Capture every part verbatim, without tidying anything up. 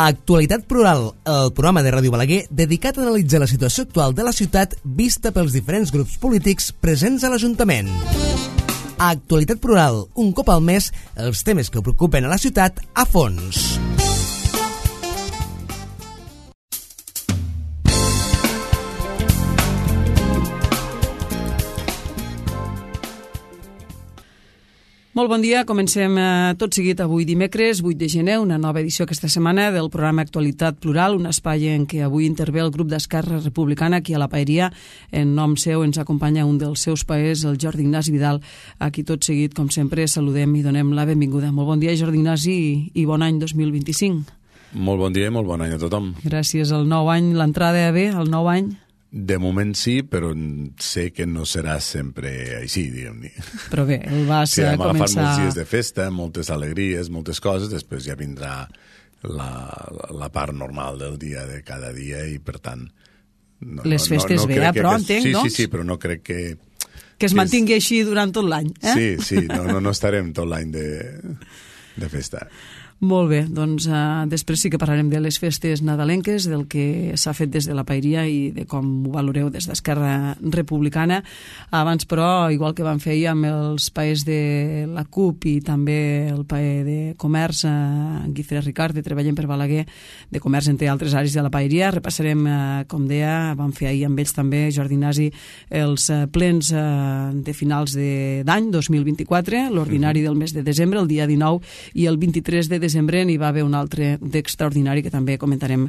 Actualitat Plural, el programa de Ràdio Balaguer dedicat a analitzar la situació actual de la ciutat vista pels diferents grups polítics presents a l'Ajuntament. Actualitat Plural, un cop al mes, els temes que preocupen a la ciutat a fons. Molt bon dia, comencem eh, tot seguit avui dimecres, vuit de gener, una nova edició aquesta setmana del programa Actualitat Plural, un espai en què avui intervé el grup d'Esquerra Republicana aquí a la Paeria. En nom seu ens acompanya un dels seus paers, el Jordi Ignasi Vidal, a qui tot seguit, com sempre, saludem i donem la benvinguda. Molt bon dia, Jordi Ignasi, i, i bon any dos mil vint-i-cinc. Molt bon dia i molt bon any a tothom. Gràcies al nou any, l'entrada bé, al nou any? De moment sí, però sé que no serà sempre així, diguem-ne. Però bé, el vas sí, hem començar... agafat molts dies de festa, moltes alegries, moltes coses, després ja vindrà la, la part normal del dia de cada dia i, per tant... No, Les festes no, no, no bé, però entenc, sí, doncs? Sí, sí, però no crec que... Que es mantingui és... així durant tot l'any, eh? Sí, sí, no, no, no estarem tot l'any de, de festa. Molt bé, doncs uh, després sí que parlarem de les festes nadalenques, del que s'ha fet des de la Paeria i de com ho valoreu des d'Esquerra Republicana. Abans, però, igual que vam fer ahir amb els paers de la CUP i també el paer de Comerç, uh, Guifré Ricard, de Treballem per Balaguer, de Comerç entre altres àrees de la Paeria, repassarem, uh, com deia, vam fer ahir amb ells també, Jordi Ignasi, els uh, plens uh, de finals d'any dos mil vint-i-quatre, l'ordinari del mes de desembre, el dia dinou, i el vint-i-tres de desembre desembre n'hi va haver un altre d'extraordinari que també comentarem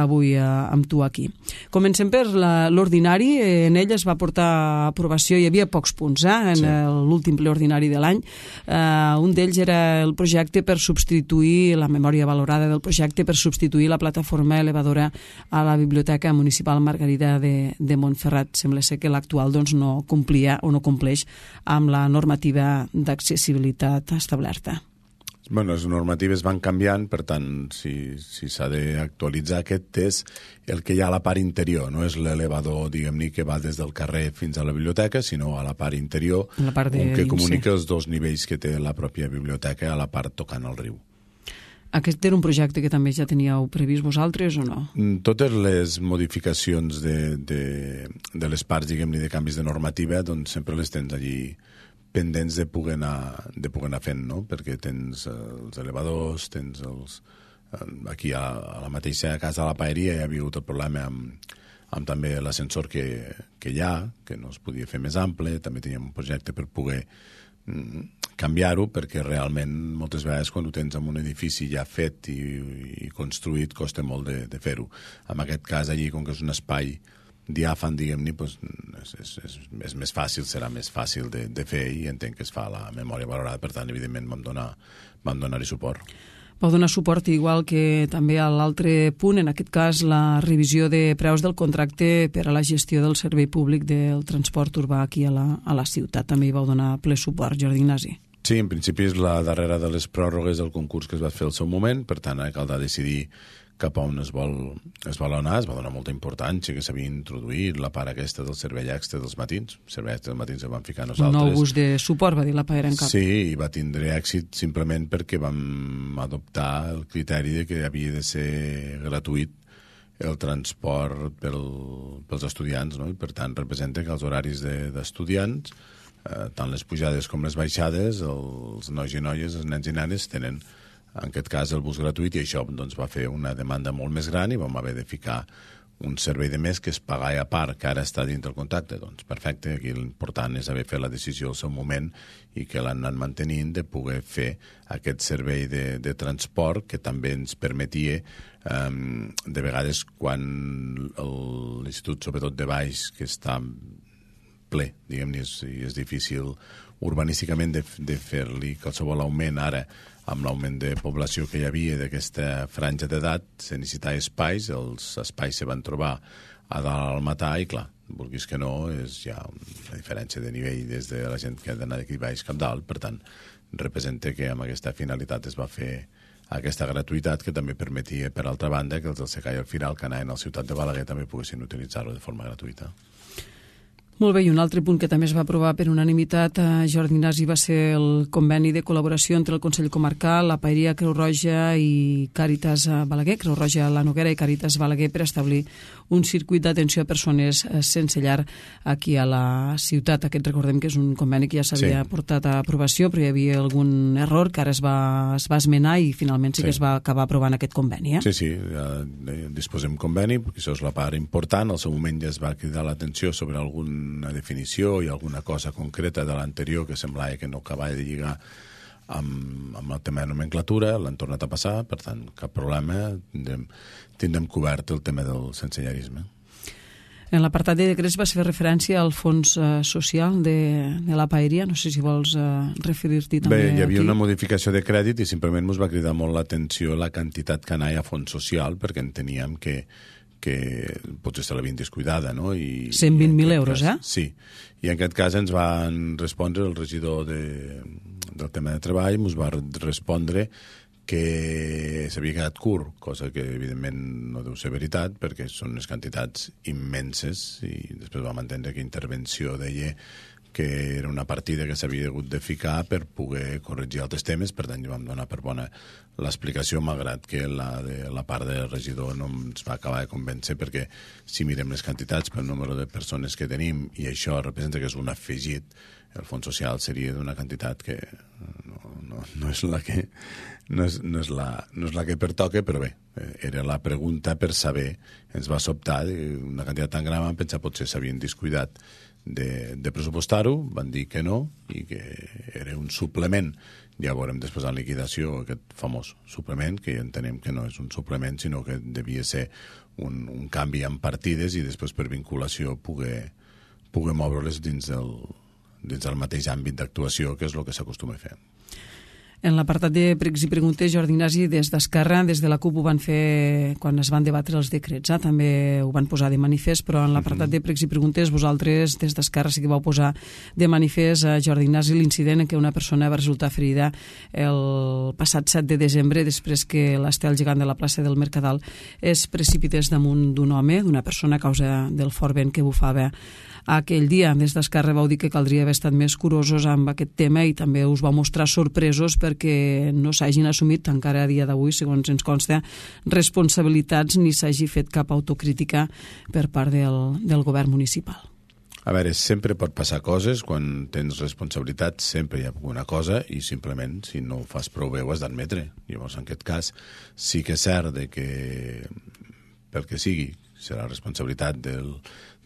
avui eh, amb tu aquí. Comencem per l'ordinari. En ell es va portar a aprovació, hi havia pocs punts eh, en sí. l'últim ple ordinari de l'any. Eh, un d'ells era el projecte per substituir, la memòria valorada del projecte per substituir la plataforma elevadora a la Biblioteca Municipal Margarida de, de Montferrat. Sembla ser que l'actual doncs, no complia o no compleix amb la normativa d'accessibilitat establerta. Bueno, les normatives van canviant, per tant, si, si s'ha d'actualitzar aquest és el que hi ha a la part interior, no és l'elevador, diguem-ne, que va des del carrer fins a la biblioteca, sinó a la part interior, la part de un que dins, comunica sí. els dos nivells que té la pròpia biblioteca a la part tocant el riu. Aquest era un projecte que també ja teníeu previst vosaltres o no? Totes les modificacions de, de, de les parts, diguem-ne, de canvis de normativa, doncs sempre les tens allí pendents de poder anar, de poder anar fent, no? Perquè tens els elevadors, tens els... Aquí a, a la mateixa casa de la Paeria hi havia hagut el problema amb, amb també l'ascensor que, que hi ha, que no es podia fer més ample, també teníem un projecte per poder mm, canviar-ho, perquè realment moltes vegades quan ho tens en un edifici ja fet i, i construït costa molt de, de fer-ho. En aquest cas allí, com que és un espai diàfan, diguem-ne, doncs és, és, és, és més fàcil, serà més fàcil de, de fer i entenc que es fa la memòria valorada, per tant, evidentment, vam donar, vam donar-hi suport. Vau donar suport igual que també a l'altre punt, en aquest cas la revisió de preus del contracte per a la gestió del servei públic del transport urbà aquí a la, a la ciutat. També hi vau donar ple suport, Jordi Ignasi. Sí, en principi és la darrera de les pròrrogues del concurs que es va fer al seu moment, per tant, ara caldrà decidir cap a on es vol, es vol anar. Es va donar molta importància que s'havia introduït la part aquesta del servei extra dels matins. El servei extra dels matins el vam ficar nosaltres. Un nou bus de suport, va dir la Paera en cap. Sí, i va tindre èxit simplement perquè vam adoptar el criteri de que havia de ser gratuït el transport pel, pels estudiants, no? I per tant representa que els horaris d'estudiants, eh, tant les pujades com les baixades, els nois i noies, els nens i nenes tenen en aquest cas el bus gratuït, i això doncs, va fer una demanda molt més gran i vam haver de ficar un servei de més que es pagava a part, que ara està dins del contracte. Doncs perfecte, aquí l'important és haver fet la decisió al seu moment i que l'han anat mantenint de poder fer aquest servei de, de transport que també ens permetia um, de vegades quan l'institut, sobretot de baix, que està ple, diguem-ne, és, és difícil urbanísticament de, de fer-li qualsevol augment ara amb l'augment de població que hi havia d'aquesta franja d'edat, se necessitava espais, els espais se van trobar a dalt al matà i, clar, vulguis que no, és ja una diferència de nivell des de la gent que ha d'anar d'aquí baix cap dalt, per tant, representa que amb aquesta finalitat es va fer aquesta gratuïtat que també permetia, per altra banda, que els del Secà i el Firal que anaven a la ciutat de Balaguer també poguessin utilitzar-lo de forma gratuïta. Molt bé, i un altre punt que també es va aprovar per unanimitat, eh, Jordi Ignasi, va ser el conveni de col·laboració entre el Consell Comarcal, la Paeria Creu Roja i Càritas Balaguer, Creu Roja La Noguera i Càritas Balaguer, per establir un circuit d'atenció a persones sense llar aquí a la ciutat. Aquest recordem que és un conveni que ja s'havia sí. portat a aprovació, però hi havia algun error que ara es va, es va esmenar i finalment sí, sí que es va acabar aprovant aquest conveni. Eh? Sí, sí, ja disposem conveni, perquè això és la part important. Al seu moment ja es va cridar l'atenció sobre alguna definició i alguna cosa concreta de l'anterior que semblava que no acabava de lligar amb, amb el tema de nomenclatura, l'han tornat a passar, per tant, cap problema, tindrem, tindrem cobert el tema del sensellarisme. En l'apartat de decrets va fer referència al fons eh, social de, de la Paeria, no sé si vols eh, referir-t'hi també aquí. Bé, hi havia aquí. una modificació de crèdit i simplement ens va cridar molt l'atenció la quantitat que anava a fons social, perquè enteníem que que potser se l'havien descuidada, no? I, cent vint mil euros, cas, eh? Sí, i en aquest cas ens van respondre el regidor de, del tema de treball, ens va respondre que s'havia quedat curt, cosa que evidentment no deu ser veritat, perquè són unes quantitats immenses, i després vam entendre que intervenció deia que era una partida que s'havia hagut de ficar per poder corregir altres temes, per tant, vam donar per bona l'explicació, malgrat que la, de, la part del regidor no ens va acabar de convèncer, perquè si mirem les quantitats pel número de persones que tenim, i això representa que és un afegit, el fons social seria d'una quantitat que no, no, no és la que no és, no, és la, no és la que pertoca, però bé, era la pregunta per saber, ens va sobtar una quantitat tan gran, vam pensar potser s'havien descuidat de, de pressupostar-ho, van dir que no i que era un suplement. Ja veurem després en liquidació aquest famós suplement, que ja entenem que no és un suplement, sinó que devia ser un, un canvi en partides i després per vinculació poder, poder moure-les dins del, dins del mateix àmbit d'actuació, que és el que s'acostuma a fer. En l'apartat de pregs i preguntes, Jordi Ignasi, des d'Esquerra, des de la CUP ho van fer quan es van debatre els decrets, eh? També ho van posar de manifest, però en l'apartat de pregs i preguntes vosaltres des d'Esquerra sí que vau posar de manifest a Jordi Ignasi l'incident en què una persona va resultar ferida el passat set de desembre després que l'estel gegant de la plaça del Mercadal es precipités damunt d'un home, d'una persona a causa del fort vent que bufava aquell dia. Des d'Esquerra vau dir que caldria haver estat més curosos amb aquest tema i també us vau mostrar sorpresos perquè no s'hagin assumit encara a dia d'avui, segons ens consta, responsabilitats ni s'hagi fet cap autocrítica per part del, del govern municipal. A veure, sempre pot passar coses, quan tens responsabilitats sempre hi ha alguna cosa i simplement si no ho fas prou bé ho has d'admetre. Llavors en aquest cas sí que és cert de que pel que sigui serà responsabilitat del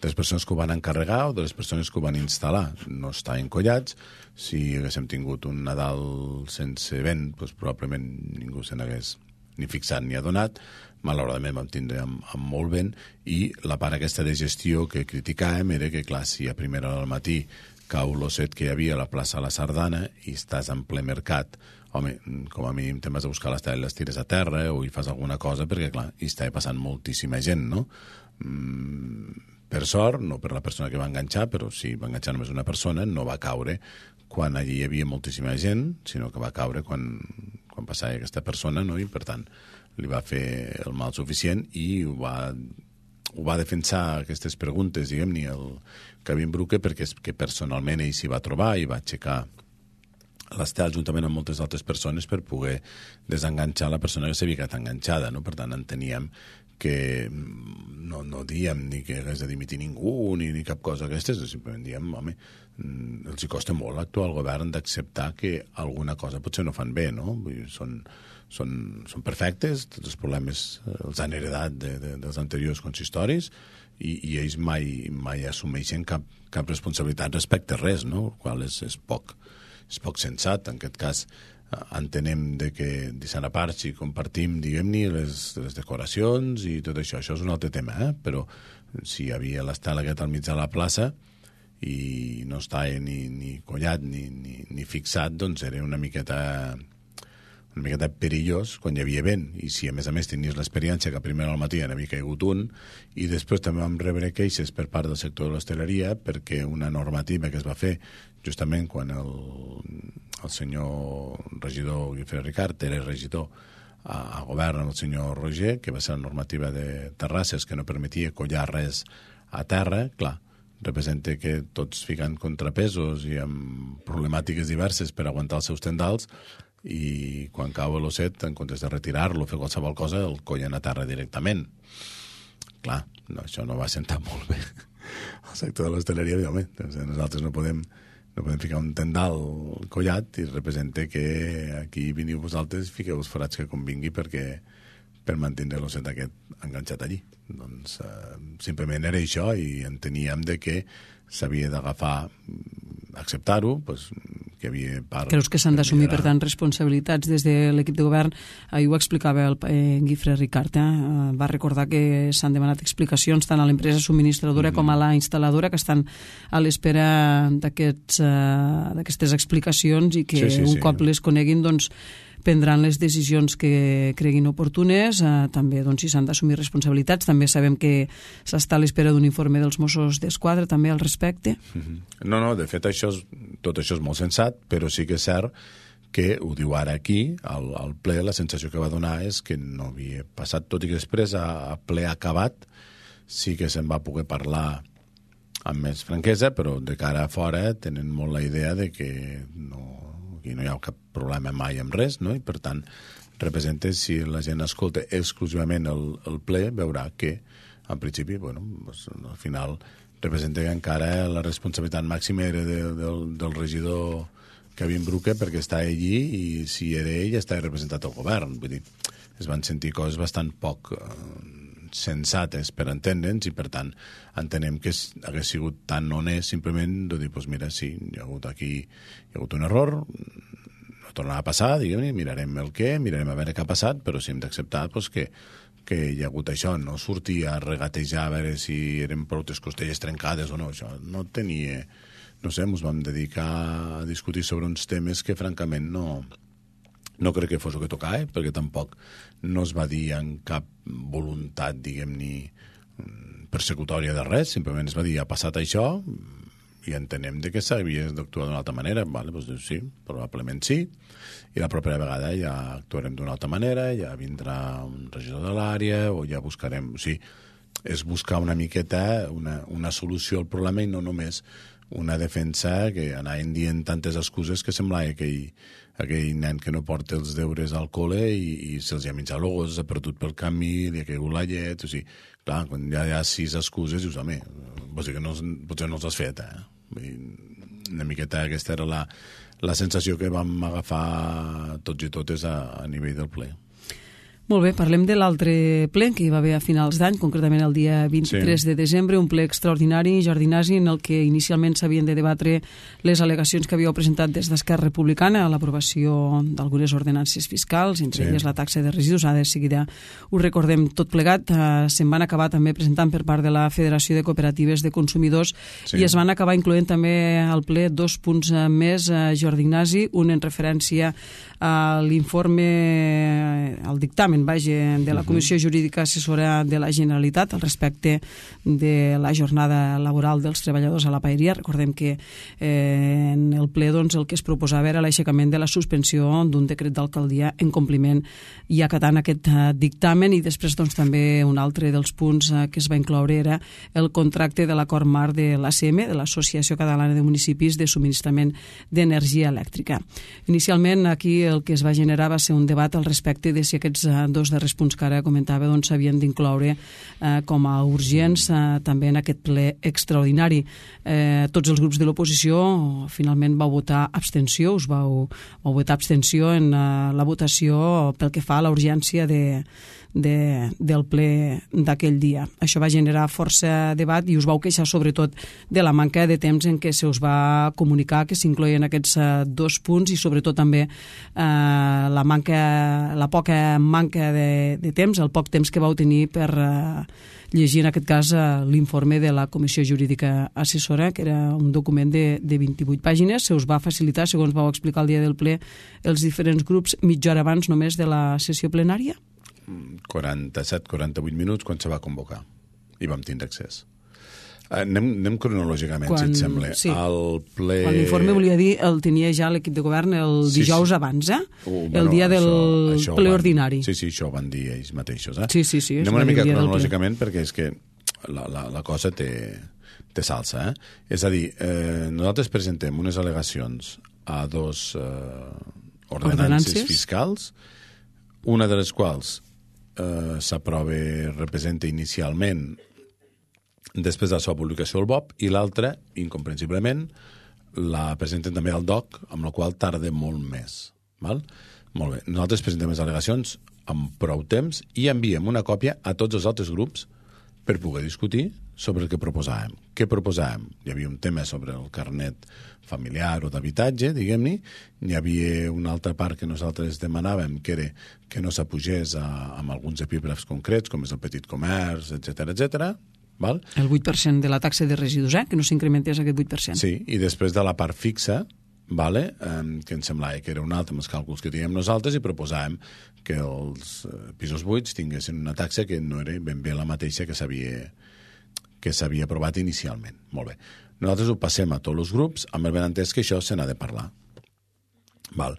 de les persones que ho van encarregar o de les persones que ho van instal·lar. No estar encollats. Si haguéssim tingut un Nadal sense vent, doncs probablement ningú se n'hagués ni fixat ni adonat. Malauradament vam tindre amb, amb molt vent i la part aquesta de gestió que criticàvem era que, clar, si a primera hora del matí cau l'osset que hi havia a la plaça de la Sardana i estàs en ple mercat, home, com a mínim te'n vas a buscar l'estela i les tires a terra o hi fas alguna cosa perquè, clar, hi estava passant moltíssima gent, no? Mm, per sort, no per la persona que va enganxar, però si va enganxar només una persona, no va caure quan allí hi havia moltíssima gent, sinó que va caure quan, quan passava aquesta persona, no? I per tant li va fer el mal suficient i ho va, ho va defensar aquestes preguntes, diguem-ne, el Kevin Bruque, perquè és que personalment ell s'hi va trobar i va aixecar l'estel juntament amb moltes altres persones per poder desenganxar la persona que s'havia quedat enganxada, no? Per tant, enteníem que no, no diem ni que hagués de dimitir ningú ni, ni cap cosa d'aquestes, simplement diem, home, els hi costa molt actuar al govern d'acceptar que alguna cosa potser no fan bé, no? Vull dir, són, són, són perfectes, tots els problemes els han heredat de, de, dels anteriors consistoris i, i ells mai, mai assumeixen cap, cap responsabilitat respecte a res, no? El qual és, és, poc, és poc sensat. En aquest cas entenem de que deixant a part si compartim, diguem-ne, les, les decoracions i tot això, això és un altre tema, eh? Però si hi havia l'estel aquest al mig de la plaça i no estava ni, ni collat ni, ni, ni fixat, doncs era una miqueta una miqueta perillós quan hi havia vent, i si a més a més tenies l'experiència que primer al matí n'havia caigut un, i després també vam rebre queixes per part del sector de l'hostaleria perquè una normativa que es va fer justament quan el, el senyor regidor Guifré Ricard era regidor a, a govern amb el senyor Roger, que va ser la normativa de terrasses que no permetia collar res a terra, clar, representa que tots fiquen contrapesos i amb problemàtiques diverses per aguantar els seus tendals, i quan cau l'osset, en comptes de retirar-lo, fer qualsevol cosa, el collen a terra directament. Clar, no, això no va sentar molt bé al sector de l'hostaleria. Home, nosaltres no podem, no podem ficar un tendal collat i representa que aquí veniu vosaltres i fiqueu els forats que convingui perquè per mantenir l'osset aquest enganxat allí. Doncs eh, simplement era això, i enteníem de que s'havia d'agafar, acceptar-ho, pues, que havia part... Creus que s'han d'assumir, per tant, responsabilitats des de l'equip de govern? Ahir ho explicava el eh, Guifré Ricart, eh? Va recordar que s'han demanat explicacions tant a l'empresa subministradora mm-hmm. com a la instal·ladora, que estan a l'espera d'aquestes uh, explicacions, i que sí, sí, un sí. cop les coneguin, doncs, prendran les decisions que creguin oportunes. Eh, també, doncs, si s'han d'assumir responsabilitats. També sabem que s'està a l'espera d'un informe dels Mossos d'Esquadra també al respecte. Mm-hmm. No, no, de fet això és, tot això és molt sensat, però sí que és cert que ho diu ara aquí, al, al ple, la sensació que va donar és que no havia passat, tot i que després a, a ple acabat sí que se'n va poder parlar amb més franquesa, però de cara a fora tenen molt la idea de que no, aquí no hi ha cap problema mai amb res, no? I per tant representa, si la gent escolta exclusivament el, el ple, veurà que en principi, bueno, pues, al final representa que encara la responsabilitat màxima era de, del, del regidor Kevin Bruque, perquè està allí, i si era ell està representat al govern. Vull dir, es van sentir coses bastant poc eh, sensates per entendre'ns, i per tant entenem que hagués sigut tan honest simplement de dir, doncs mira, sí, hi ha hagut aquí hi ha hagut un error, no tornarà a passar, diguem-ne, mirarem el què, mirarem a veure què ha passat, però sí hem d'acceptar doncs, que, que hi ha hagut això, no sortir a regatejar a veure si eren prou costelles trencades o no, això no tenia, no sé, ens vam dedicar a discutir sobre uns temes que francament no no crec que fos el que tocava, eh? Perquè tampoc no es va dir en cap voluntat, diguem-ne, persecutòria de res, simplement es va dir, ha passat això, i entenem de que s'havia d'actuar d'una altra manera. Vale, doncs sí, probablement sí, i la propera vegada ja actuarem d'una altra manera, ja vindrà un regidor de l'àrea, o ja buscarem... O sigui, és buscar una miqueta una, una solució al problema, i no només una defensa que anaven dient tantes excuses que semblava que ell aquell nen que no porta els deures al col·le i, i se'ls ha menjat el gos, s'ha perdut pel camí, li ha caigut la llet, o sigui, clar, quan ja hi ha sis excuses, dius, home, vols dir que no, potser no els has fet, eh? Una miqueta aquesta era la, la sensació que vam agafar tots i totes a, a nivell del ple. Molt bé, parlem de l'altre ple que hi va haver a finals d'any, concretament el dia vint-i-tres sí. de desembre, un ple extraordinari, Jordi Nasi, en el que inicialment s'havien de debatre les al·legacions que havíeu presentat des d'Esquerra Republicana a l'aprovació d'algunes ordenances fiscals, entre sí. elles la taxa de residus. Ara de seguida ho recordem tot plegat. Uh, se'n van acabar també presentant per part de la Federació de Cooperatives de Consumidors sí. i es van acabar incloent també al ple dos punts més, uh, Jordi Nasi, un en referència a l'informe, al dictamen vaja, de la Comissió Jurídica Assessora de la Generalitat al respecte de la jornada laboral dels treballadors a la paeria. Recordem que eh, en el ple doncs, el que es proposava era l'aixecament de la suspensió d'un decret d'alcaldia en compliment i acatant aquest eh, dictamen, i després doncs, també un altre dels punts eh, que es va incloure era el contracte de l'acord marc de l'A C M, de l'Associació Catalana de Municipis de Subministrament d'Energia Elèctrica. Inicialment aquí el que es va generar va ser un debat al respecte de si aquests eh, dos darrers punts que ara comentava doncs, s'havien d'incloure eh, com a urgents eh, també en aquest ple extraordinari. Eh, tots els grups de l'oposició finalment vau votar abstenció, us vau, vau votar abstenció en eh, la votació pel que fa a la urgència de, de, del ple d'aquell dia. Això va generar força debat i us vau queixar sobretot de la manca de temps en què se us va comunicar que s'incloïen aquests eh, dos punts, i sobretot també eh, la manca, la poca manca de, de temps, el poc temps que vau tenir per eh, llegir en aquest cas eh, l'informe de la Comissió Jurídica Assessora, que era un document de, de vint-i-vuit pàgines. Se us va facilitar, segons vau explicar el dia del ple, els diferents grups mitja hora abans només de la sessió plenària? quaranta-set quaranta-vuit minuts quan se va convocar i vam tindre accés. Anem, anem cronològicament, quan, si et sembla. Sí. El ple... Quan l'informe, volia dir, el tenia ja l'equip de govern el dijous sí, sí. abans, eh? Uh, bueno, el dia del això, això ple van, ordinari. Sí, sí, això ho van dir ells mateixos, eh? Sí, sí, sí. Anem una mica cronològicament perquè és que la, la, la cosa té, té salsa. Eh? És a dir, eh, nosaltres presentem unes al·legacions a dos eh, ordenances, ordenances fiscals, una de les quals eh, s'aprova, representa inicialment després de la seva publicació al B O P, i l'altra, incomprensiblement, la presenten també al D O C, amb la qual tarda molt més. Val? Molt bé. Nosaltres presentem les al·legacions amb prou temps i enviem una còpia a tots els altres grups per poder discutir sobre el que proposàvem. Què proposàvem? Hi havia un tema sobre el carnet familiar o d'habitatge, diguem-ne. Hi havia una altra part que nosaltres demanàvem, que era que no s'apugés amb alguns epígrafs concrets, com és el petit comerç, etcètera, etcètera. Val? El vuit per cent de la taxa de residus, eh? Que no s'incrementés aquest vuit per cent. Sí, i després de la part fixa, vale? eh, que ens semblava que era un altre amb els càlculs que teníem nosaltres, i proposàvem que els eh, pisos buits tinguessin una taxa que no era ben bé la mateixa que s'havia que s'havia aprovat inicialment. Molt bé. Nosaltres ho passem a tots els grups amb el benentès que això se n'ha de parlar. Val.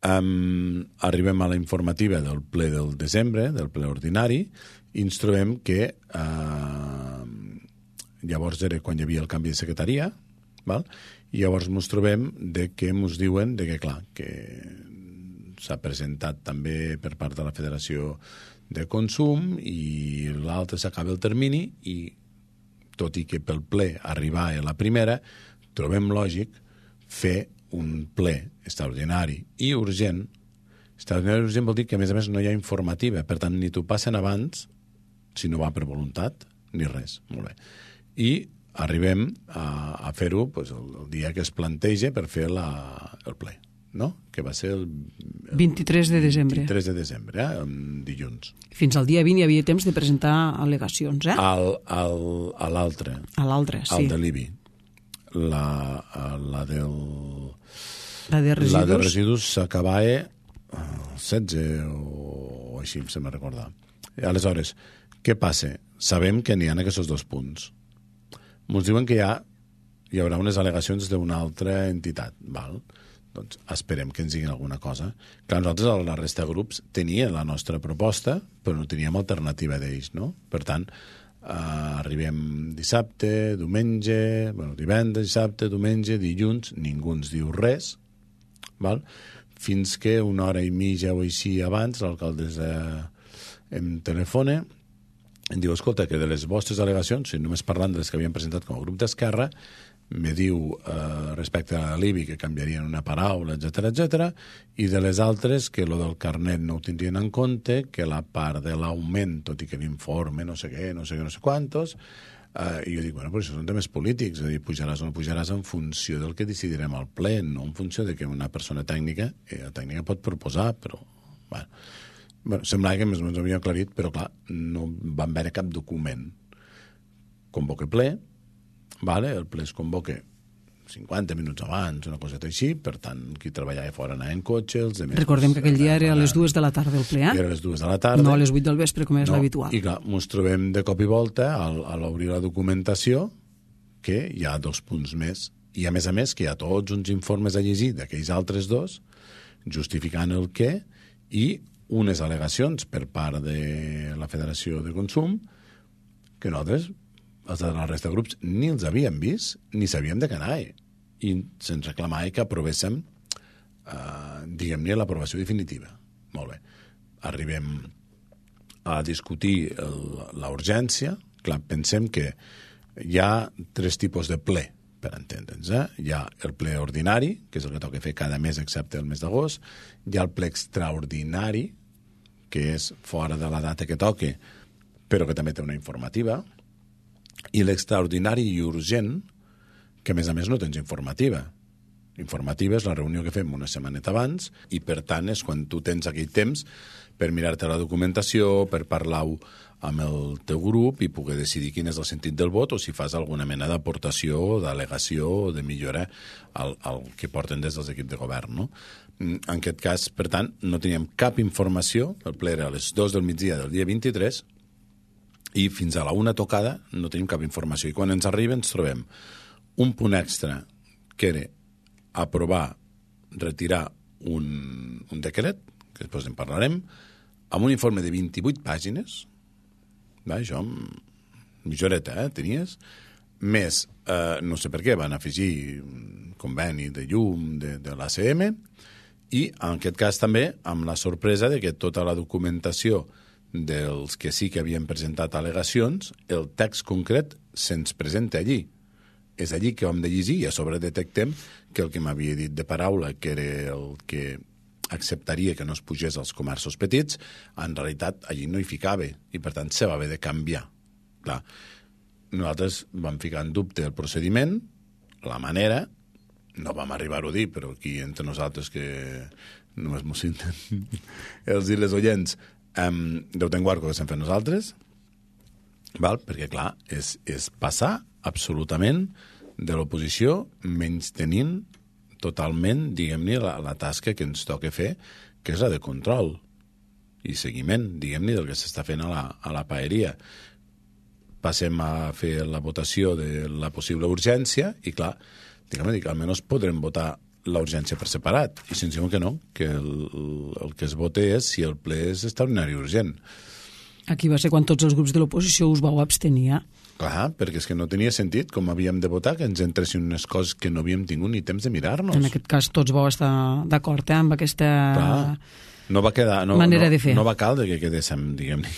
Um, arribem a la informativa del ple del desembre, del ple ordinari, i ens trobem que uh, llavors era quan hi havia el canvi de secretaria, val? I llavors ens trobem de que ens diuen de que, clar, que s'ha presentat també per part de la Federació de Consum i l'altre s'acaba el termini, i tot i que pel ple arribar a la primera, trobem lògic fer un ple extraordinari i urgent. Extraordinari i urgent vol dir que, a més a més, no hi ha informativa. Per tant, ni t'ho passen abans, si no va per voluntat, ni res. Molt bé. I arribem a, a fer-ho pues, el, el dia que es planteja per fer la, el ple, no? Que va ser el, el vint-i-tres de desembre. vint-i-tres de desembre, eh? Dilluns. Fins al dia vint hi havia temps de presentar al·legacions, eh? Al, al, a l'altre. A l'altre, sí. Al de l'I B I. La, la del... La de residus? La de residus s'acabava el setze o així, se me recorda. Aleshores, què passa? Sabem que n'hi ha aquests dos punts. Ens diuen que hi, ha, hi haurà unes al·legacions d'una altra entitat. Val? Doncs esperem que ens diguin alguna cosa. Clar, nosaltres, a la resta de grups, teníem la nostra proposta, però no teníem alternativa d'ells, no? Per tant, eh, arribem dissabte, diumenge, bueno, divendres, dissabte, diumenge, dilluns, ningú ens diu res, val? Fins que una hora i mitja o així abans l'alcaldessa em telefona, em diu, escolta, que de les vostres al·legacions, si només parlant de les que havien presentat com a grup d'Esquerra, me diu eh, respecte a l'I B I que canviarien una paraula, etcètera, etcètera, i de les altres que lo del carnet no ho tindrien en compte, que la part de l'augment, tot i que l'informe, no sé què, no sé què, no sé quantos, eh, i jo dic, bueno, però això són temes polítics, és a dir, pujaràs o no pujaràs en funció del que decidirem al ple, no en funció de que una persona tècnica, eh, la tècnica pot proposar, però, bueno, bueno semblava que més o menys ho havia aclarit, però clar, no van veure cap document. Convoque ple, vale, el ple es convoca cinquanta minuts abans, una coseta així, per tant, qui treballava fora anava en cotxe, els demés... Recordem que aquell dia era a les dues de la tarda el ple, eh? Era a les dues de la tarda. No a les vuit del vespre, com és no, l'habitual. I clar, ens trobem de cop i volta, al, a l'obrir la documentació, que hi ha dos punts més, i a més a més que hi ha tots uns informes a llegir d'aquells altres dos, justificant el què, i unes al·legacions per part de la Federació de Consum, que nosaltres, els de la resta de grups, ni els havíem vist, ni sabíem de què anava. I se'ns reclamava que aprovéssim, eh, diguem-ne, l'aprovació definitiva. Molt bé. Arribem a discutir la urgència. Clar, pensem que hi ha tres tipus de ple, per entendre'ns. Eh? Hi ha el ple ordinari, que és el que toca fer cada mes excepte el mes d'agost. Hi ha el ple extraordinari, que és fora de la data que toca, però que també té una informativa. I l'extraordinari i urgent, que a més a més no tens informativa. Informativa és la reunió que fem una setmaneta abans i, per tant, és quan tu tens aquell temps per mirar-te la documentació, per parlar-ho amb el teu grup i poder decidir quin és el sentit del vot o si fas alguna mena d'aportació o d'al·legació o de millora al, al que porten des dels equips de govern, no? En aquest cas, per tant, no teníem cap informació, el ple era a les dues del migdia del dia vint-i-tres, i fins a la una tocada no tenim cap informació. I quan ens arriba ens trobem un punt extra que era aprovar, retirar un, un decret, que després en parlarem, amb un informe de vint-i-vuit pàgines. Va, això mitja horeta, eh, tenies, més, eh, no sé per què, van afegir conveni de llum de, de l'A C M, i en aquest cas també amb la sorpresa de que tota la documentació dels que sí que havien presentat al·legacions, el text concret se'ns presenta allí. És allí que hem de llegir i a sobre detectem que el que m'havia dit de paraula, que era el que acceptaria que no es pugés als comerços petits, en realitat allí no hi ficava i per tant se va haver de canviar. Clar, nosaltres vam ficar en dubte el procediment, la manera, no vam arribar-ho a dir, però aquí entre nosaltres que només mos senten els i les oients, um, deu tenir guardo que s'hem fet nosaltres, val? Perquè clar, és, és passar absolutament de l'oposició menys tenint totalment, diguem-ne, la, la tasca que ens toca fer, que és la de control i seguiment, diguem-ne, del que s'està fent a la, a la paeria. Passem a fer la votació de la possible urgència i, clar, diguem-ne, que almenys podrem votar la urgència per separat. I si ens diuen que no, que el, el que es vote és si el ple és extraordinari urgent. Aquí va ser quan tots els grups de l'oposició us vau abstenir. Clar, perquè és que no tenia sentit com havíem de votar, que ens entressin unes coses que no havíem tingut ni temps de mirar-nos. En aquest cas tots vau estar d'acord eh, amb aquesta Clar, no va quedar, no, manera no, de fer. No va caldre que quedéssim, diguem-ne.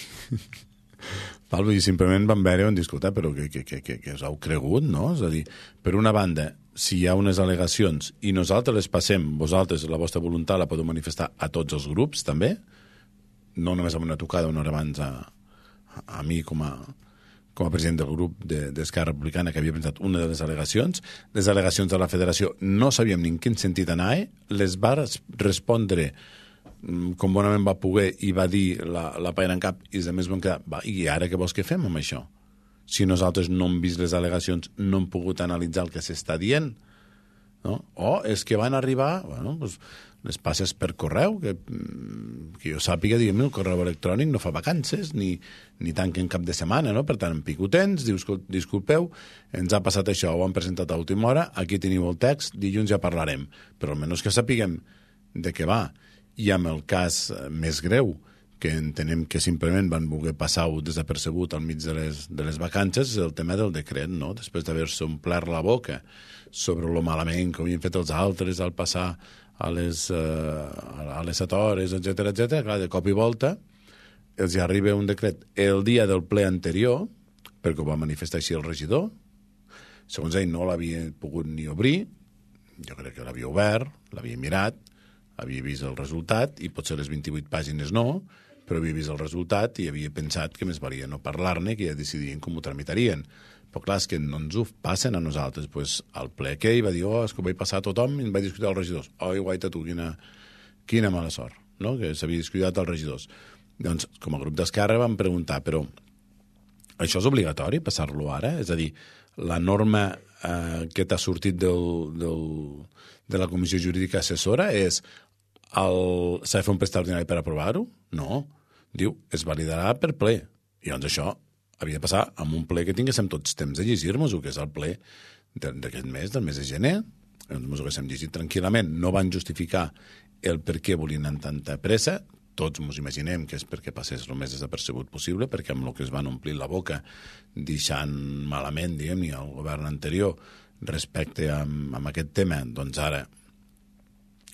Val, i simplement vam veure on discutir, però que, que, que, que, que us heu cregut, no? És a dir, per una banda, si hi ha unes al·legacions i nosaltres les passem, vosaltres la vostra voluntat la podeu manifestar a tots els grups, també, no només amb una tocada una hora abans a, a mi com a, com a president del grup d'Esquerra Republicana que havia pensat una de les al·legacions. Les al·legacions de la federació no sabíem ni en quin sentit anar, les va respondre com bonament va poder i va dir la, la paella en cap i a més vam quedar, va, i ara què vols que fem amb això? Si nosaltres no hem vist les al·legacions, no hem pogut analitzar el que s'està dient, no? O és que van arribar, bueno, doncs, les passes per correu, que, que jo sàpiga, diguem, el correu electrònic no fa vacances, ni, ni tanquen cap de setmana, no? Per tant, en picotents, dius, disculpeu, ens ha passat això, ho han presentat a última hora, aquí teniu el text, dilluns ja parlarem. Però almenys que sapiguem de què va. I amb el cas més greu, que entenem que simplement van voler passar-ho desapercebut al mig de les, de les vacances, és el tema del decret, no? Després d'haver-se omplert la boca sobre lo malament que havien fet els altres al passar a les, uh, a les set hores, etcètera, etcètera, clar, de cop i volta els hi arriba un decret el dia del ple anterior, perquè ho va manifestar així el regidor, segons ell no l'havia pogut ni obrir, jo crec que l'havia obert, l'havia mirat, havia vist el resultat, i potser les vint-i-vuit pàgines no, però havia vist el resultat i havia pensat que més valia no parlar-ne, que ja decidien com ho tramitarien. Però clar, és que no ens ho passen a nosaltres. Pues, al ple aquell va dir, oh, és que ho vaig passar a tothom i em vaig discutir als regidors. Oh, guaita tu, quina, quina mala sort, no? Que s'havia discutit als regidors. Doncs, com a grup d'Esquerra vam preguntar, però això és obligatori, passar-lo ara? És a dir, la norma eh, que t'ha sortit del, del, de la Comissió Jurídica Assessora és el... s'ha de fer un ple extraordinari per aprovar-ho? No. Diu, es validarà per ple. I llavors això havia de passar amb un ple que tinguéssim tots temps de llegir-nos-ho, que és el ple d'aquest mes, del mes de gener. Ens ho haguéssim llegit tranquil·lament. No van justificar el per què volien amb tanta pressa. Tots ens imaginem que és perquè passés el més desapercebut possible, perquè amb el que es van omplir la boca deixant malament, diguem-ne, al govern anterior respecte a, a aquest tema, doncs ara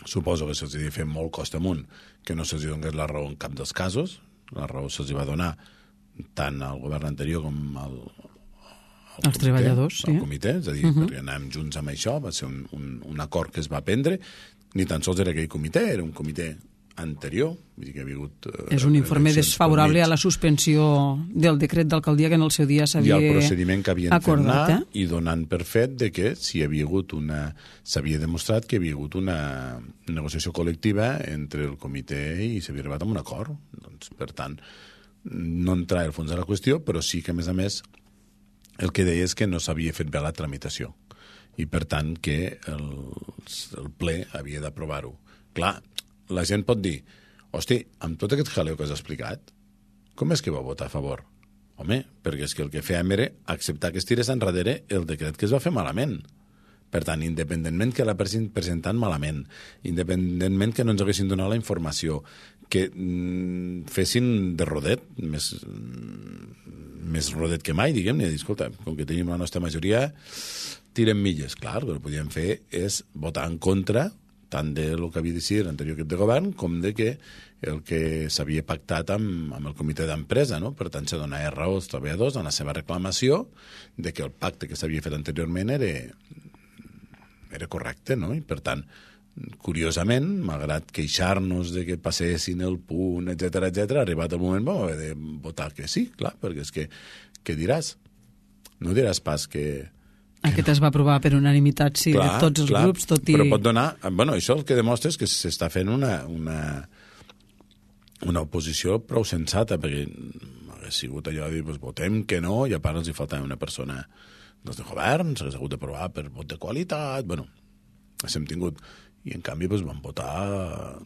suposo que se'ls havia fet molt costa amunt que no se'ls donés la raó en cap dels casos. La raó se'ls va donar tant al govern anterior com al, al els treballadors, sí. Al comitè, és a dir, uh -huh. perquè anàvem junts amb això, va ser un, un, un acord que es va prendre, ni tan sols era aquell comitè, era un comitè anterior, vull dir que hi havia hagut... Eh, és un informe desfavorable a la suspensió del decret d'alcaldia que en el seu dia s'havia acordat. I el procediment que havien fet anar, eh? I donant per fet de que si hi havia hagut una... s'havia demostrat que hi havia hagut una negociació col·lectiva entre el comitè i s'havia arribat a un acord. Doncs, per tant, no entrar al fons de la qüestió, però sí que, a més a més, el que deia és que no s'havia fet bé la tramitació i, per tant, que el, el ple havia d'aprovar-ho. Clar, la gent pot dir, hosti, amb tot aquest jaleo que has explicat, com és que va votar a favor? Home, perquè és que el que fèiem era acceptar que es tirés enrere el decret que es va fer malament. Per tant, independentment que la presentant malament, independentment que no ens haguessin donat la informació, que mm, fessin de rodet, més, més rodet que mai, diguem-ne, dir, escolta, com que tenim la nostra majoria, tirem milles. Clar, el que podíem fer és votar en contra tant del que havia decidit l'anterior equip de govern com de que el que s'havia pactat amb, amb el comitè d'empresa, no? Per tant, se donava raó als treballadors en la seva reclamació de que el pacte que s'havia fet anteriorment era, era correcte, no? I per tant, curiosament, malgrat queixar-nos de que passessin el punt, etcètera, etcètera, arribat el moment vam haver de votar que sí, clar, perquè és que, què diràs? No diràs pas que... Aquest es va aprovar per unanimitat, sí, clar, de tots els clar, grups, tot i... Però pot donar... Bueno, això el que demostra és que s'està fent una, una, una oposició prou sensata, perquè hauria sigut allò de dir, pues, votem que no, i a part els hi faltava una persona dels de govern, s'hagués hagut d'aprovar per vot de qualitat, bueno, hem tingut... I en canvi pues, vam votar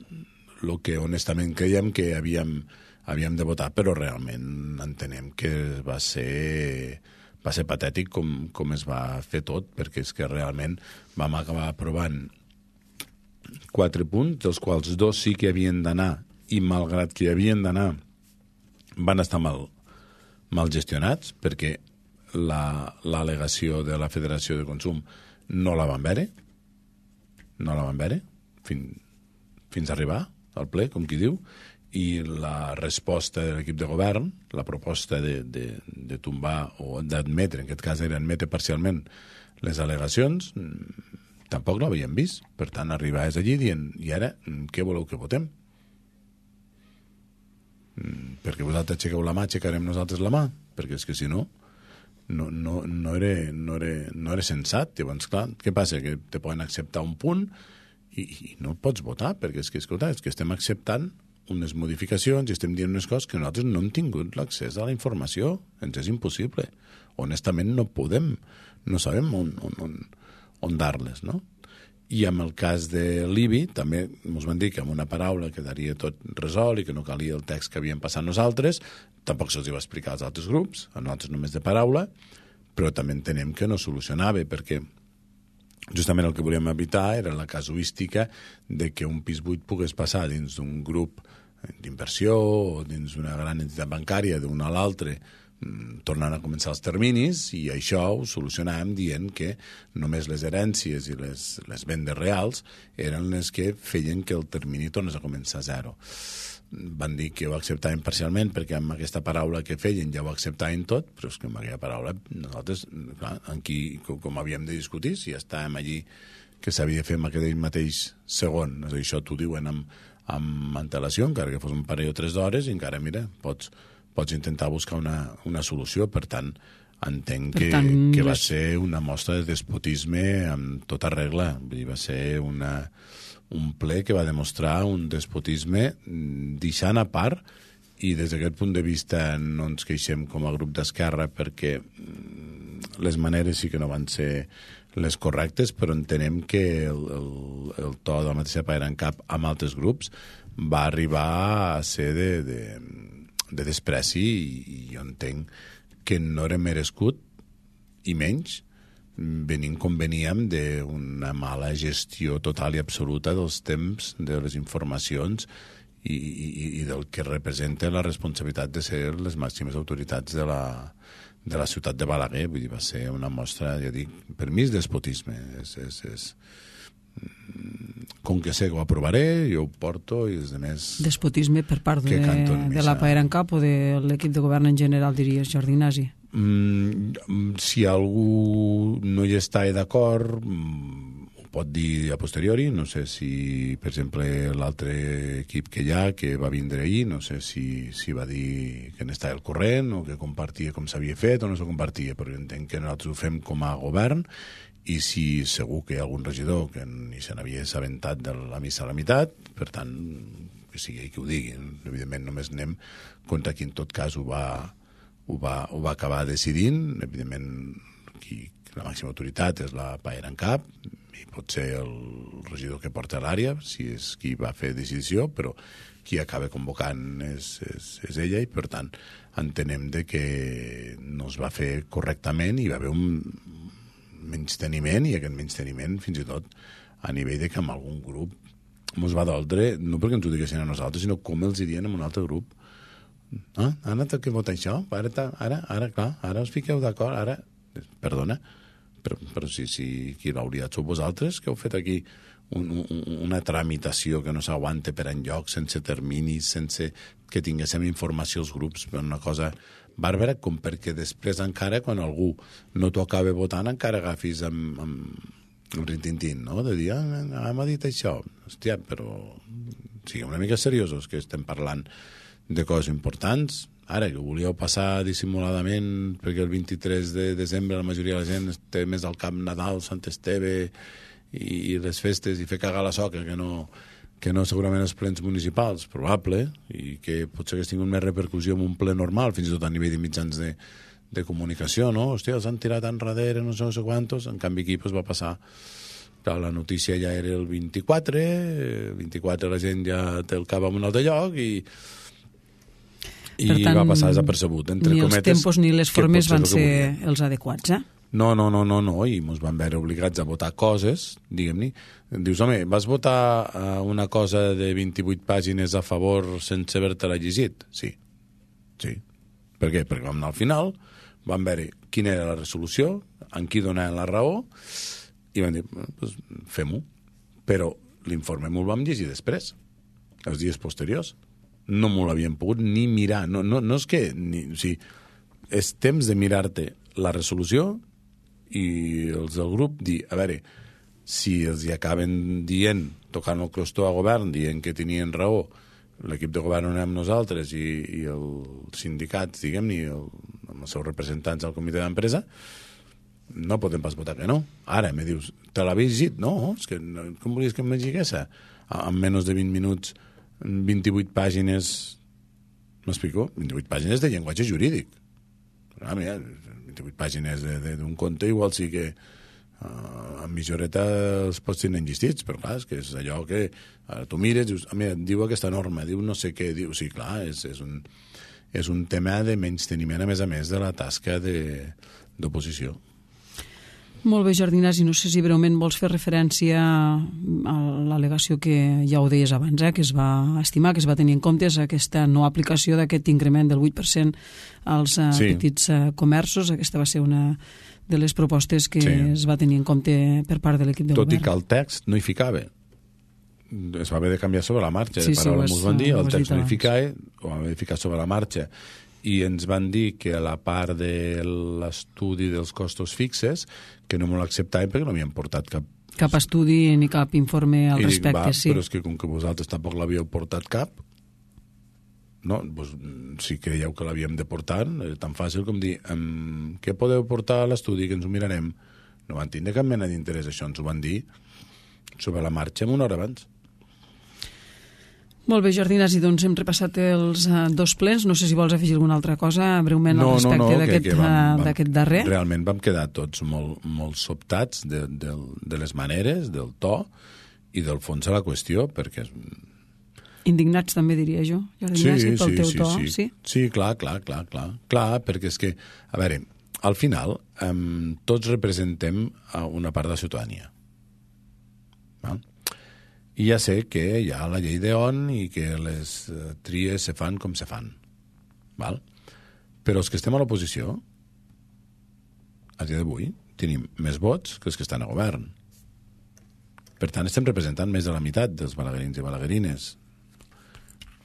el que honestament creiem que havíem, havíem de votar, però realment entenem que va ser... va ser patètic com, com es va fer tot, perquè és que realment vam acabar aprovant quatre punts, dels quals dos sí que havien d'anar, i malgrat que havien d'anar, van estar mal, mal gestionats, perquè l'al·legació de la Federació de Consum no la van veure, no la van veure, fins, fins a arribar al ple, com qui diu, i la resposta de l'equip de govern, la proposta de, de, de tombar o d'admetre, en aquest cas era admetre parcialment les al·legacions, tampoc l'havíem vist. Per tant, arribaves allí dient, i ara, què voleu que votem? Perquè vosaltres aixequeu la mà, aixecarem nosaltres la mà, perquè és que si no, no, no, no, era, no, era, no era sensat. Llavors, clar, què passa? Que te poden acceptar un punt i, i no pots votar, perquè és que, escolta, és que estem acceptant unes modificacions i estem dient unes coses que nosaltres no hem tingut l'accés a la informació. Ens és impossible. Honestament no podem, no sabem on, on, on, on dar-les, no? I amb el cas de l'I B I també ens van dir que amb una paraula quedaria tot resolt i que no calia el text que havíem passat nosaltres. Tampoc se'ls va explicar als altres grups, a nosaltres només de paraula, però també entenem que no solucionava, perquè justament el que volíem evitar era la casuística de que un pis buit pogués passar dins d'un grup d'inversió o dins d'una gran entitat bancària d'un a l'altre, tornant a començar els terminis, i això ho solucionàvem dient que només les herències i les, les vendes reals eren les que feien que el termini tornés a començar a zero. Van dir que ho acceptaven parcialment perquè amb aquesta paraula que feien ja ho acceptaven tot, però és que amb aquella paraula nosaltres, clar, aquí, com havíem de discutir, si estàvem allí que s'havia de fer amb aquell mateix segon, és a dir, això t'ho diuen amb, amb antelació, encara que fos un parell o tres d'hores, i encara, mira, pots, pots intentar buscar una, una solució. Per tant, entenc que, tant, que va les... ser una mostra de despotisme amb tota regla. Vull dir, va ser una... un ple que va demostrar un despotisme deixant a part, i des d'aquest punt de vista no ens queixem com a grup d'Esquerra perquè les maneres sí que no van ser les correctes, però entenem que el, el, el to de la mateixa Paera en Cap amb altres grups va arribar a ser de, de, de despreci, i, i jo entenc que no era merescut, i menys venint com veníem d'una mala gestió total i absoluta dels temps, de les informacions i, i, i del que representa la responsabilitat de ser les màximes autoritats de la, de la ciutat de Balaguer. Vull dir, va ser una mostra, ja dic, per mi és despotisme. És, és, és... Com que sé que ho aprovaré, jo ho porto i els demés... Despotisme per part de, de la Paera en Cap o de l'equip de govern en general, diries, Jordi Ignasi? Mm, si algú no hi està d'acord, ho pot dir a posteriori. No sé si, per exemple, l'altre equip que hi ha, que va vindre ahir, no sé si, si va dir que n'estava al corrent o que compartia com s'havia fet o no se compartia, però entenc que nosaltres ho fem com a govern, i si segur que hi ha algun regidor que ni se n'havia assabentat de la missa a la meitat, per tant, que sigui ell qui ho digui. Evidentment només anem contra qui en tot cas ho va, ho va, ho va acabar decidint. Evidentment qui, la màxima autoritat és la Paera en Cap, i pot ser el regidor que porta l'àrea, si és qui va fer decisió, però qui acaba convocant és, és, és ella, i per tant entenem de que no es va fer correctament, i va haver un menysteniment, i aquest menysteniment fins i tot a nivell de que amb algun grup ens va doldre, no perquè ens ho diguessin a nosaltres, sinó com els hi dien en un altre grup. Ah, ara té que votar això, ara, ara, ara, clar, ara us fiqueu d'acord, ara... Perdona, però, però si, si qui l'hauria sou vosaltres, que heu fet aquí un, un, una tramitació que no s'aguanta per enlloc, sense terminis, sense que tinguéssim informació als grups, per una cosa bàrbara, com perquè després encara, quan algú no t'ho acaba votant, encara agafis amb, amb, amb rintintín, no? De dir, ah, m'ha dit això. Hòstia, però siguem una mica seriosos, que estem parlant de coses importants. Ara, que volíeu passar dissimuladament perquè el vint-i-tres de desembre la majoria de la gent té més al cap Nadal, Sant Esteve i, i les festes i fer cagar la soca que no, que no segurament els plens municipals, probable, i que potser hagués tingut més repercussió en un ple normal, fins i tot a nivell de mitjans de, de comunicació, no? Hòstia, els han tirat enrere, no sé, no sé quantos, en canvi aquí pues, va passar. Clar, la notícia ja era el vint-i-quatre, el vint-i-quatre la gent ja té el cap en un altre lloc i i tant, va passar desapercebut. Entre ni cometes, els tempos ni les formes van ser els adequats, eh? No, no, no, no, no, i ens van veure obligats a votar coses, diguem-ne. Dius, home, vas votar una cosa de vint-i-vuit pàgines a favor sense haver-te-la llegit? Sí, sí. Per què? Perquè vam anar al final, vam veure quina era la resolució, en qui donaven la raó, i vam dir, pues, fem-ho. Però l'informe m'ho vam llegir després, els dies posteriors. No m'ho l'havien pogut ni mirar. No, no, no és que... Ni, o sigui, és temps de mirar-te la resolució i els del grup dir, a veure, si els hi acaben dient, tocant el crostó a govern, dient que tenien raó, l'equip de govern on anem nosaltres i, i els sindicats, diguem-ne, el, amb els seus representants al comitè d'empresa, no podem pas votar que no. Ara, me dius, te l'havies llegit? No, és que, com volies que em llegís? En menys de vint minuts vint-i-vuit pàgines, m'explico? vint-i-vuit pàgines de llenguatge jurídic. Ah, mira, vint-i-vuit pàgines d'un conte igual sí que uh, amb mitjoreta els pots tenir enllistits, però clar, és que és allò que uh, tu mires, dius, ah, mira, diu aquesta norma, diu no sé què, diu, sí, clar, és, és, un, és un tema de menysteniment, a més a més, de la tasca d'oposició. Molt bé, Jordi Ignasi, no sé si breument vols fer referència a l'al·legació que ja ho deies abans, eh, que es va estimar, que es va tenir en compte aquesta no aplicació d'aquest increment del vuit per cent als uh, sí. petits uh, comerços. Aquesta va ser una de les propostes que sí. es va tenir en compte per part de l'equip de Tot govern. Tot i que el text no hi ficava. Es va haver de canviar sobre la marxa. Sí, de paraula sí, m'ho van dir, el text no hi abans. ficava, ho vam haver de ficar sobre la marxa. I ens van dir que a la part de l'estudi dels costos fixes que no m'ho acceptaven perquè no havien portat cap... Cap estudi ni cap informe al I respecte, dic, va, sí. Però és que com que vosaltres tampoc l'havíeu portat cap, no, doncs, si creieu que l'havíem de portar, és tan fàcil com dir um, què podeu portar a l'estudi, que ens ho mirarem. No van tindre cap mena d'interès, això ens ho van dir sobre la marxa una hora abans. Molt bé, Jordi Ignasi, doncs hem repassat els uh, dos plens. No sé si vols afegir alguna altra cosa breument no, al respecte no, no, d'aquest uh, darrer. Realment vam quedar tots molt, molt sobtats de, de, de les maneres, del to i del fons de la qüestió, perquè... Indignats també diria jo, Jordi sí, Ignasi, pel sí, teu sí, to. Sí. Sí? sí, clar, clar, clar, clar, clar, perquè és que, a veure, al final um, tots representem una part de la ciutadania. Val? I ja sé que hi ha la llei d'E.O.N i que les uh, tries se fan com se fan. Val? Però els que estem a l'oposició, a dia d'avui, tenim més vots que els que estan a govern. Per tant, estem representant més de la meitat dels balaguerins i balaguerines.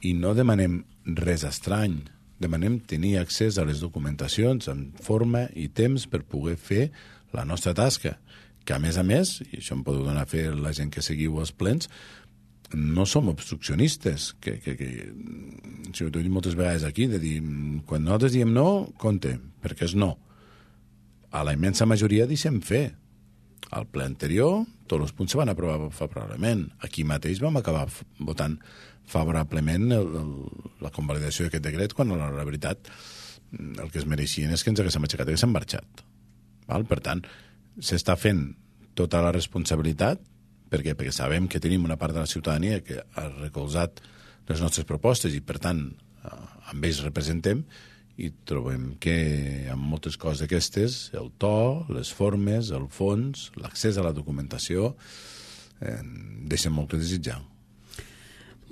I no demanem res estrany. Demanem tenir accés a les documentacions en forma i temps per poder fer la nostra tasca. Que a més a més, i això em podeu donar a fer la gent que seguiu els plens, no som obstruccionistes, que, que, que si ho he dit moltes vegades aquí, de dir, quan nosaltres diem no, compte, perquè és no. A la immensa majoria deixem fer. Al ple anterior, tots els punts se van aprovar favorablement. Aquí mateix vam acabar votant favorablement el, el, la convalidació d'aquest decret, quan la, la veritat el que es mereixien és que ens haguéssim aixecat i haguéssim marxat. Val? Per tant, s'està fent tota la responsabilitat perquè, perquè sabem que tenim una part de la ciutadania que ha recolzat les nostres propostes i, per tant, amb ells representem i trobem que amb moltes coses d'aquestes, el to, les formes, el fons, l'accés a la documentació, eh, deixen molt que desitjar.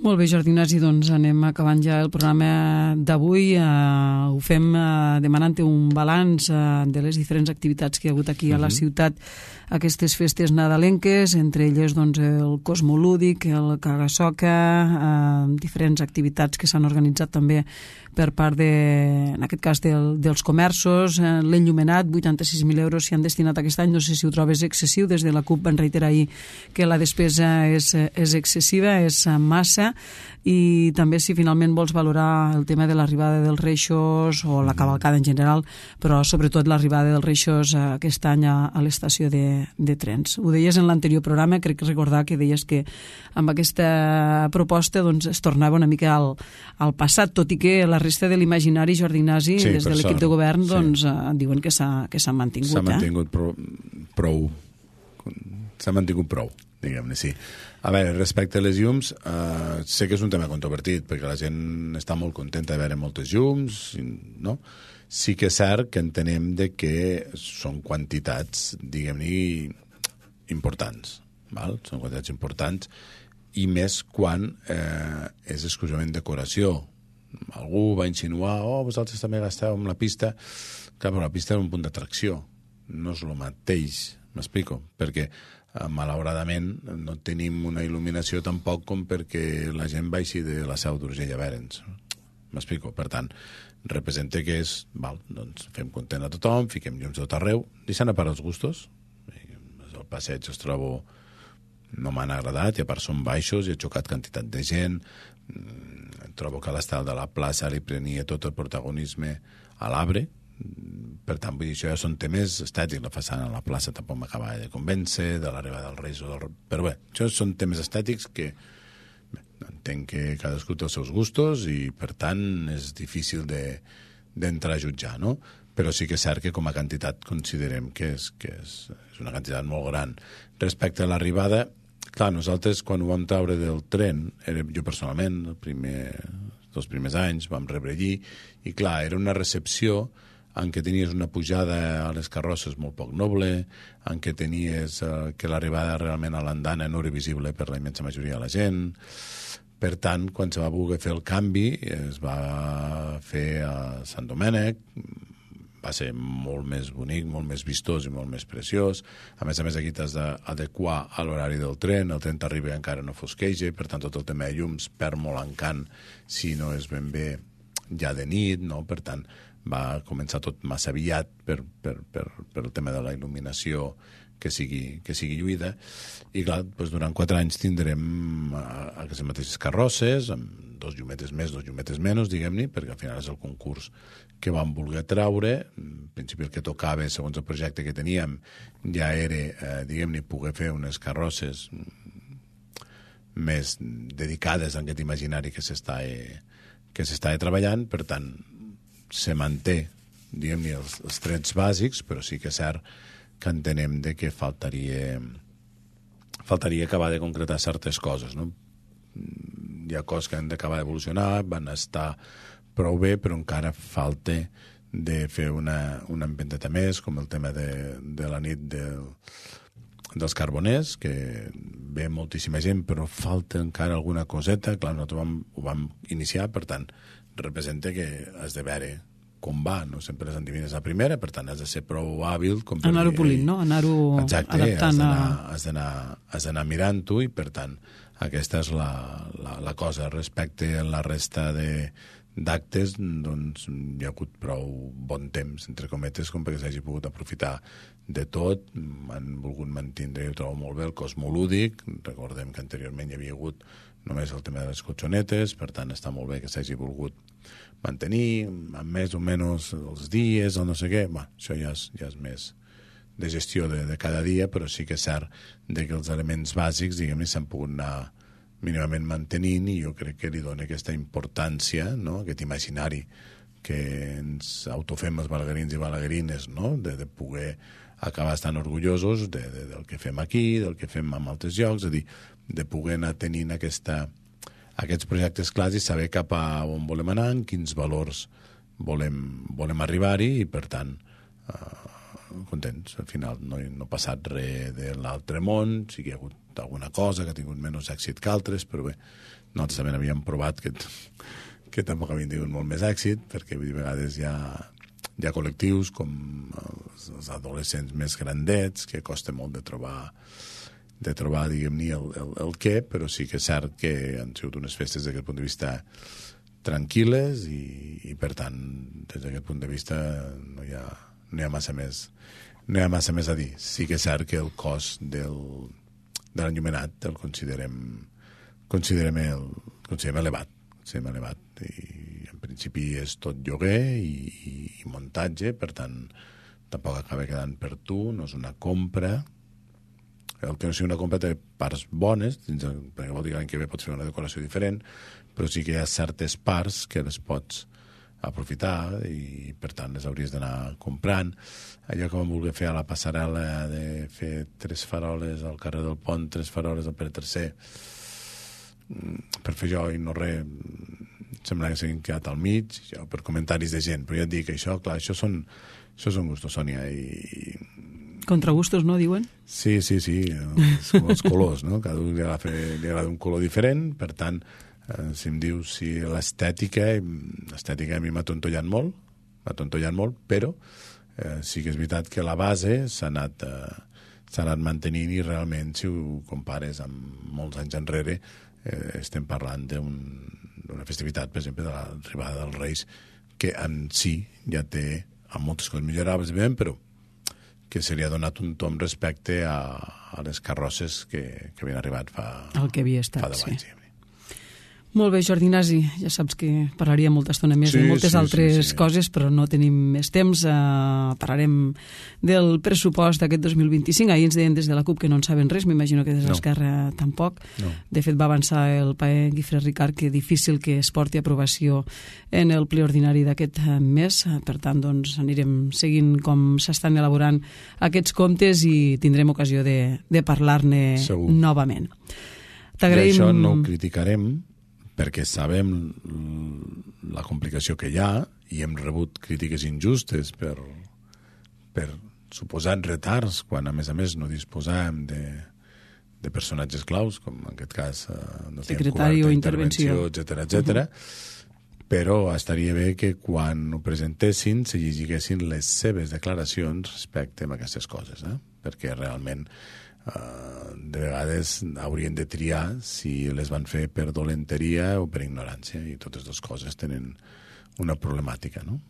Molt bé, Jordi Ignasi, doncs anem acabant ja el programa d'avui. Uh, ho fem uh, demanant un balanç uh, de les diferents activitats que hi ha hagut aquí uh-huh. a la ciutat, aquestes festes nadalenques, entre elles doncs, el Cosmolúdic, el Caga-Soca, uh, diferents activitats que s'han organitzat també per part, de, en aquest cas, del, dels comerços. Uh, L'enllumenat, vuitanta-sis mil euros s'hi han destinat aquest any. No sé si ho trobes excessiu. Des de la CUP van reiterar ahir que la despesa és, és excessiva, és massa. I també si finalment vols valorar el tema de l'arribada dels reixos o la cavalcada en general, però sobretot l'arribada dels reixos aquest any a, a l'estació de, de trens. Ho deies en l'anterior programa, crec recordar que deies que amb aquesta proposta doncs, es tornava una mica al, al passat, tot i que la resta de l'imaginari, Jordi Ignasi, sí, des de l'equip de govern, doncs, sí. eh, diuen que s'ha que s'ha mantingut. S'ha mantingut eh? prou, prou s'ha mantingut prou, diguem-ne, sí. A veure, respecte a les llums, eh, sé que és un tema controvertit, perquè la gent està molt contenta de veure moltes llums, no? Sí que és cert que entenem de que són quantitats, diguem-ne, importants, val? Són quantitats importants, i més quan eh, és exclusivament decoració. Algú va insinuar, oh, vosaltres també gasteu amb la pista. Clar, però la pista és un punt d'atracció, no és el mateix, m'explico, perquè malauradament no tenim una il·luminació tampoc com perquè la gent baixi de la Seu d'Urgell a veure'ns. M'explico? Per tant, representa que és, val, doncs fem content a tothom, fiquem llums a tot arreu, deixant a part els gustos. El passeig es trobo, no m'han agradat, i a part són baixos, i he xocat quantitat de gent, trobo que l'estat de la plaça li prenia tot el protagonisme a l'arbre. Per tant, vull dir, això ja són temes estètics. La façana a la plaça tampoc m'acaba de convèncer, de l'arribada del Reis o del... Però bé, això són temes estètics que bé, entenc que cadascú té els seus gustos i per tant és difícil de, d'entrar a jutjar, no? Però sí que és cert que com a quantitat considerem que és, que és, és una quantitat molt gran. Respecte a l'arribada, clar, nosaltres quan ho vam treure del tren, era, jo personalment, el primer, els primers anys, vam rebre allí, i clar, era una recepció en què tenies una pujada a les carrosses molt poc noble, en què tenies eh, que l'arribada realment a l'andana no era visible per la immensa majoria de la gent. Per tant, quan se va voler fer el canvi, es va fer a Sant Domènec, va ser molt més bonic, molt més vistós i molt més preciós. A més a més, aquí t'has d'adequar a l'horari del tren, el tren t'arriba i encara no fosqueja, per tant, tot el tema de llums perd molt encant si no és ben bé ja de nit, no? Per tant, va començar tot massa aviat per, per, per, per el tema de la il·luminació que sigui, que sigui lluïda. I clar, doncs durant quatre anys tindrem aquestes mateixes carrosses, amb dos llumetes més, dos llumetes menys, diguem-ne, perquè al final és el concurs que vam voler treure. En principi el que tocava, segons el projecte que teníem, ja era, eh, diguem-ne, poder fer unes carrosses més dedicades a aquest imaginari que s'està que s'està treballant. Per tant, se manté, diguem-ne, els, els trets bàsics, però sí que és cert que entenem de que faltaria faltaria acabar de concretar certes coses, no? Hi ha coses que han d'acabar d'evolucionar, van estar prou bé, però encara falta de fer una, una empenteta més, com el tema de, de la nit del, dels carboners, que ve moltíssima gent, però falta encara alguna coseta. Clar, nosaltres vam, ho vam iniciar, per tant, representa que has de veure com va, no sempre les endevines a primera, per tant has de ser prou hàbil com per anar-ho polint, no? Anar-ho exacte, adaptant has a... has d'anar has d'anar mirant-ho, i per tant aquesta és la, la, la cosa. Respecte a la resta de d'actes, doncs hi ha hagut prou bon temps, entre cometes, com perquè s'hagi pogut aprofitar de tot. Han volgut mantenir, jo trobo molt bé, el Cosmolúdic. Recordem que anteriorment hi havia hagut només el tema de les cotxonetes, per tant està molt bé que s'hagi volgut mantenir amb més o menys els dies o no sé què. Bé, això ja és, ja és més de gestió de, de cada dia, però sí que és cert de que els elements bàsics, diguem-ne, s'han pogut anar mínimament mantenint, i jo crec que li dona aquesta importància, no?, aquest imaginari que ens autofem els balaguerins i balaguerines, no?, de, de poder acabar estant orgullosos de, de, del que fem aquí, del que fem en altres llocs, és a dir, de poder anar tenint aquesta, aquests projectes clars i saber cap a on volem anar, en quins valors volem, volem arribar-hi, i per tant eh, contents. Al final no, no ha passat res de l'altre món, sí que hi ha hagut alguna cosa que ha tingut menys èxit que altres, però bé, nosaltres també havíem provat que, que tampoc havien tingut molt més èxit, perquè a vegades hi ha, hi ha col·lectius com els, els adolescents més grandets, que costa molt de trobar de trobar, diguem-ne, el, el, el què, però sí que és cert que han sigut unes festes d'aquest punt de vista tranquil·les i, i per tant, des d'aquest punt de vista no hi ha, no hi ha massa més no hi ha massa més a dir. Sí que és cert que el cost del, de l'enllumenat el considerem considerem, el, considerem elevat considerem elevat i en principi és tot lloguer i, i, i muntatge, per tant tampoc acaba quedant per tu, no és una compra. El que no sigui una compra té parts bones, perquè vol dir que l'any que ve pots fer una decoració diferent, però sí que hi ha certes parts que les pots aprofitar i per tant les hauries d'anar comprant. Allò que vam voler fer a la passarel·la de fer tres faroles al carrer del Pont, tres faroles al Pere tercer, per fer jo i no res, sembla que s'han quedat al mig, jo, per comentaris de gent, però ja et dic que això, clar, això són, això són gustos, Sònia, i... Contragustos, no, diuen? Sí, sí, sí, els, els colors, no? Cada un li agrada, li agrada un color diferent, per tant, eh, si em dius si l'estètica, l'estètica a mi m'ha tontollat molt, m'ha tontollat molt, però eh, sí que és veritat que la base s'ha anat, eh, s'ha anat mantenint i realment, si ho compares amb molts anys enrere, eh, estem parlant d'una festivitat, per exemple, de l'arribada dels Reis, que en si ja té amb moltes coses millorables, però que se li ha donat un tom respecte a, a les carrosses que, que havien arribat fa, el que havia estat, fa deu anys. Sí. Molt bé, Jordi Ignasi, ja saps que parlaria molta estona més sí, de moltes sí, altres sí, sí. coses, però no tenim més temps. Uh, parlarem del pressupost d'aquest dos mil vint-i-cinc. Ahir ens deien des de la CUP que no en saben res, m'imagino que des de no. l'Esquerra tampoc. No. De fet, va avançar el paer Guifré Ricard que difícil que es porti a aprovació en el ple ordinari d'aquest mes. Per tant, doncs, anirem seguint com s'estan elaborant aquests comptes i tindrem ocasió de, de parlar-ne Segur. novament. I això no ho criticarem, perquè sabem la complicació que hi ha i hem rebut crítiques injustes per, per suposats retards, quan a més a més no disposàvem de, de personatges claus, com en aquest cas eh, no secretari o intervenció, etcètera, etcètera. Uh-huh. Però estaria bé que quan ho presentessin se llegiguessin les seves declaracions respecte a aquestes coses, eh? Perquè realment Uh, de vegades haurien de triar si les van fer per dolenteria o per ignorància, i totes dues coses tenen una problemàtica, no?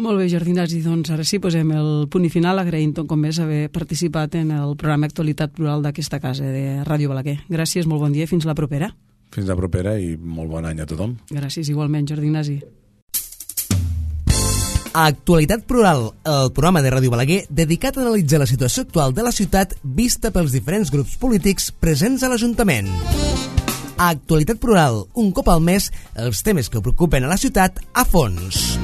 Molt bé, Jordi Ignasi, doncs ara sí posem el punt i final, agraint com més haver participat en el programa Actualitat Plural d'aquesta casa de Ràdio Balaguer. Gràcies, molt bon dia, fins la propera. Fins la propera i molt bon any a tothom. Gràcies, igualment, Jordi Ignasi. Actualitat Plural, el programa de Ràdio Balaguer dedicat a analitzar la situació actual de la ciutat vista pels diferents grups polítics presents a l'Ajuntament. Actualitat Plural, un cop al mes, els temes que preocupen a la ciutat a fons.